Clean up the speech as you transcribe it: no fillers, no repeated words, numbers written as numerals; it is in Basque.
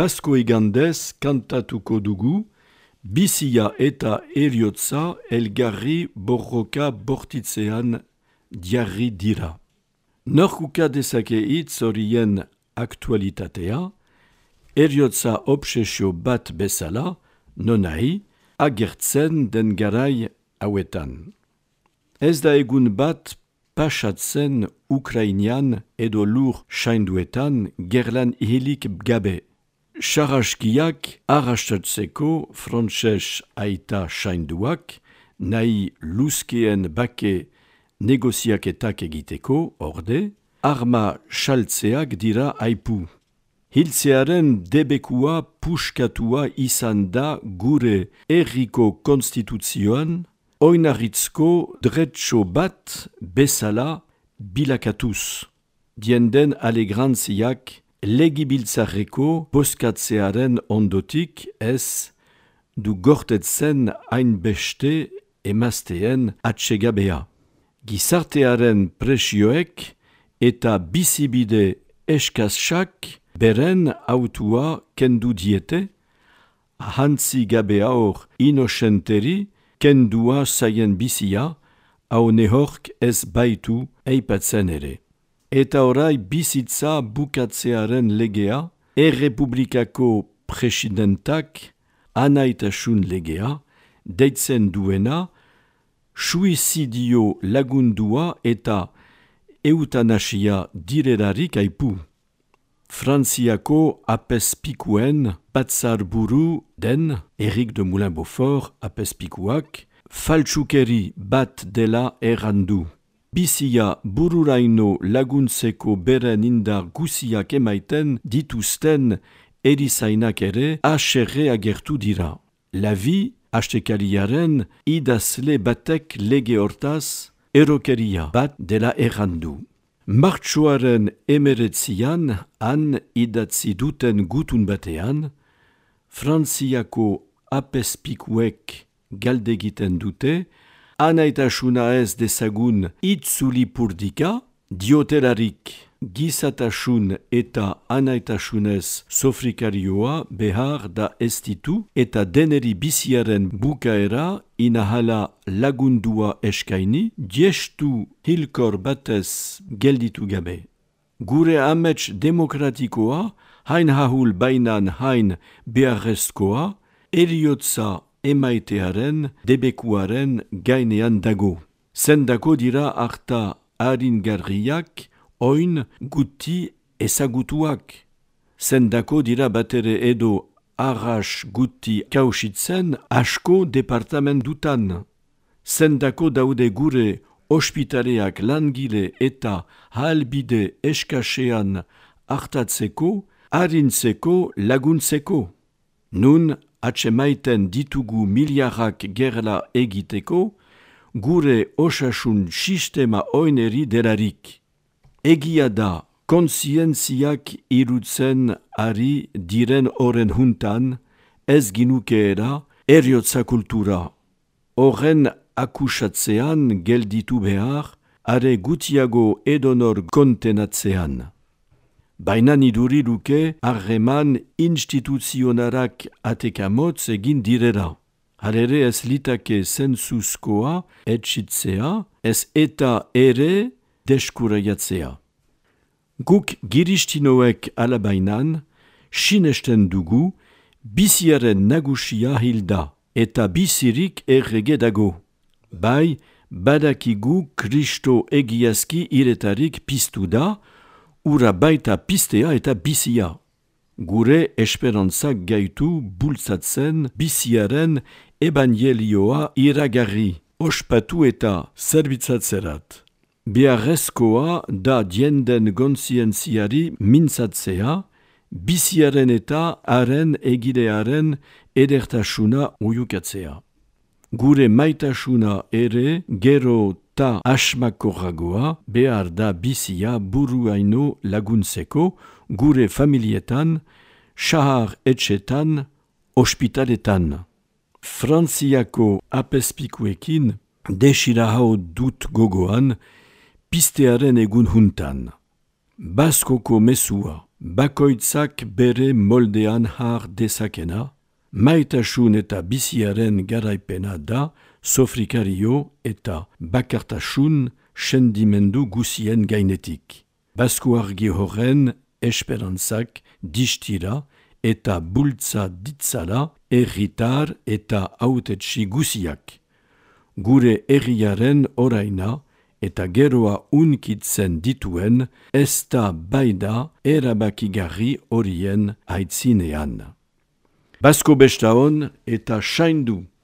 Basko egandez kantatuko dugu, bizia eta eriotza elgarri borroka bortitzean diarri dira. Norkuka dezake hitz horien aktualitatea, eriotza obsesio bat bezala, nonahi, agertzen den garai hauetan. Ez da egun bat pasatzen Ukrainian edo lur sainduetan gerlan ihilik gabe. Saraskiak arrastatzeko frantses aita sainduak, nahi luzkeen bake negoziaketak egiteko, orde, arma saltzeak dira aipu. Hiltzearen debekua puskatua izan da gure herriko konstituzioan, oinarritzko dretxo bat bezala bilakatuz. Dienden alegrantziak legibiltzarreko boskatzearen ondotik ez du gortetzen hainbeste emazteen atsegabea. Gizartearen presioek eta bizibide eskasak beren autua kendu diete, ahantzi gabe hor inosenteri kendua zaien bizia, hau nehork ez baitu eipatzen ere. Eta orai bizitza bukatzearen legea, errepublikako presidentak anaitasun legea, deitzen duena, suizidio lagundua eta eutanasia direlarik aipu. Frantziako apezpikuen batzarburu den Éric de Moulin-Beaufort apezpikuak faltsukeri bat dela errandu. Bizia bururaino laguntzeko beren indar guziak emaiten dituzten erizainak ere haserre agertu dira. Lavi astekaliaren idazle batek lege hortaz erokeria bat dela errandu. Martxoaren 19 han idatzi duten gutun batean, Frantziako apezpikuek galdegiten dute, anaitasuna ez dezagun itzulipurdika, diotelarik gizatasun eta anaitasunez sofrikarioa behar da ez ditu eta deneri biziaren bukaera inahala lagundua eskaini, diestu hilkor batez gelditu gabe. Gure amets demokratikoa, hain hahul bainan hain beharrezkoa, eriotza emaitearen debekuaren gainean dago. Zendako dira harta haringarriak, oin guti ezagutuak. Zendako dira batere edo arras guti kausitzen asko departamentutan. Zendako daude gure ospitaleak langile eta halbide eskasean hartatzeko, harintzeko, laguntzeko. Nun atsemaiten ditugu miliarrak gerla egiteko, gure osasun sistema oineri delarik. Egia da, kontzientziak irutzen ari diren horren juntan, ez ginukeera eriotza kultura. Horren akusatzean gelditu behar, are gutiago edonor kontenatzean. Baina niduri luke harreman instituzionarak atekamotz egin direra. Halere ez litake zentzuzkoa etxitzea, ez eta ere deskuraiatzea. Guk giristinoek alabainan, sinesten dugu, biziaren nagusia hilda, eta bizirik errege dago. Bai, badakigu Kristo egiazki iretarik piztu da, ura baita pistea eta bizia. Gure esperantzak gaitu bultzatzen biziaren ebangelioa iragarri, ospatu eta zerbitzatzerat. Beharrezkoa da dienden gontzientziari mintzatzea, biziaren eta haren egidearen edertasuna uiukatzea. Gure maitasuna ere gero ta asmakorragoa behar da bizia buruaino laguntzeko gure familietan, sahar etxetan, ospitaletan. Frantziako apezpikuekin desirahau dut gogoan pistearen egun juntan. Baskoko mesua, bakoitzak bere moldean har dezakena, maitasun eta biziaren garaipena da sofrikario eta bakartasun sendimendu guzien gainetik. Baskuargi horren esperantzak distira eta bultza ditzala herritar eta hautetsi guziak. Gure herriaren oraina eta geroa unkitzen dituen ez da baida erabakigarri horien aitzinean. Basko bestaon eta saindu!